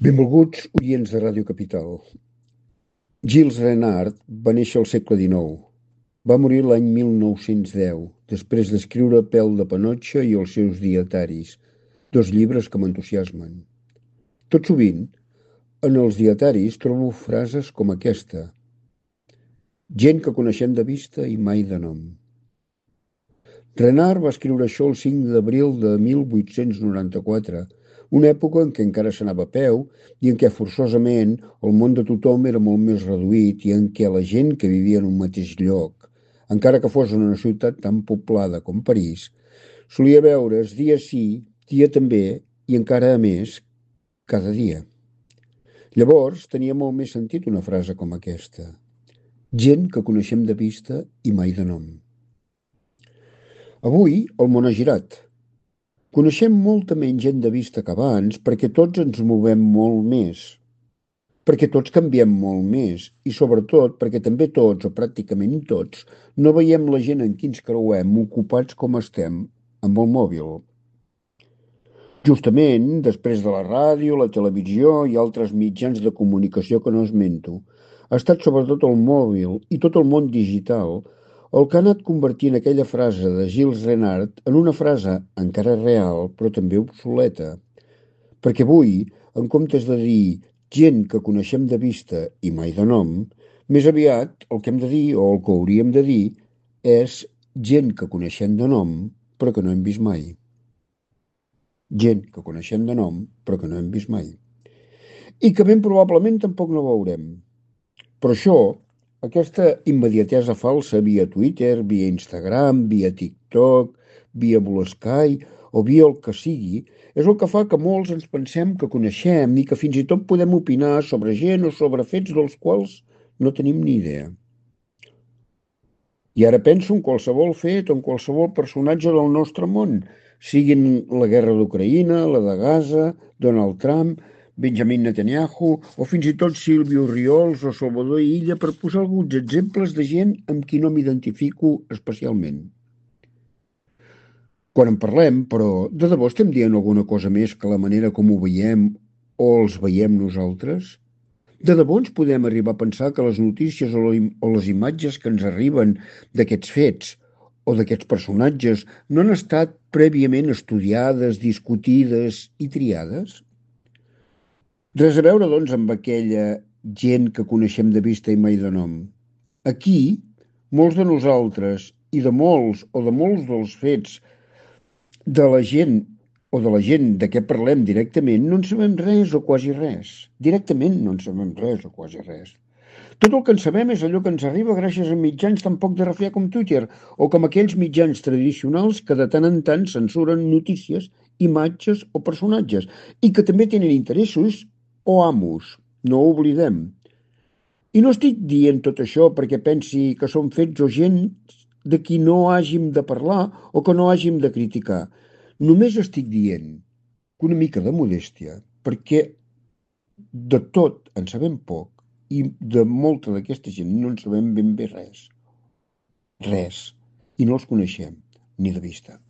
Benvolguts oients de Ràdio Capital. Gilles Renard va néixer al segle XIX. Va morir l'any 1910, després d'escriure Pèl de Panotxa i els seus dietaris, dos llibres que m'entusiasmen. Tot sovint, en els dietaris trobo frases com aquesta: gent que coneixem de vista i mai de nom. Renard va escriure això el 5 d'abril de 1894, una època en què encara s'anava a peu i en què forçosament el món de tothom era molt més reduït i en què la gent que vivia en un mateix lloc, encara que fos en una ciutat tan poblada com París, solia veure's dia sí, dia també i encara a més cada dia. Llavors tenia molt més sentit una frase com aquesta: gent que coneixem de vista i mai de nom. Avui el món ha girat. Coneixem molta menys gent de vista que abans perquè tots ens movem molt més, perquè tots canviem molt més i sobretot perquè també tots, o pràcticament tots, no veiem la gent en qui ens creuem ocupats com estem amb el mòbil. Justament, després de la ràdio, la televisió i altres mitjans de comunicació que no esmento, ha estat sobretot el mòbil i tot el món digital el que ha anat convertint aquella frase de Gilles Renard en una frase encara real, però també obsoleta. Perquè avui, en comptes de dir gent que coneixem de vista i mai de nom, més aviat el que hem de dir, o el que hauríem de dir, és gent que coneixem de nom, però que no hem vist mai. Gent que coneixem de nom, però que no hem vist mai. I que ben probablement tampoc no veurem. Però això, aquesta immediatesa falsa via Twitter, via Instagram, via TikTok, via Blue Sky o via el que sigui, és el que fa que molts ens pensem que coneixem i que fins i tot podem opinar sobre gent o sobre fets dels quals no tenim ni idea. I ara penso en qualsevol fet o en qualsevol personatge del nostre món, siguin la guerra d'Ucraïna, la de Gaza, Donald Trump, Benjamin Netanyahu o fins i tot Sílvio Riols o Salvador Illa, per posar alguns exemples de gent amb qui no m'identifico especialment. Quan en parlem, però, de debò estem dient alguna cosa més que la manera com ho veiem o els veiem nosaltres? De debò ens podem arribar a pensar que les notícies o les imatges que ens arriben d'aquests fets o d'aquests personatges no han estat prèviament estudiades, discutides i triades? Res a veure, doncs, amb aquella gent que coneixem de vista i mai de nom. Aquí, molts de nosaltres i de molts dels fets de la gent o de la gent de què parlem directament no en sabem res o quasi res. Directament no en sabem res o quasi res. Tot el que en sabem és allò que ens arriba gràcies a mitjans tan poc de refiar com Twitter o com aquells mitjans tradicionals que de tant en tant censuren notícies, imatges o personatges i que també tenen interessos o amos, no ho oblidem. I no estic dient tot això perquè pensi que són fets o gent de qui no hàgim de parlar o que no hàgim de criticar. Només estic dient que una mica de modèstia, perquè de tot en sabem poc i de molta d'aquesta gent no en sabem ben bé res. Res. I no els coneixem, ni de vista.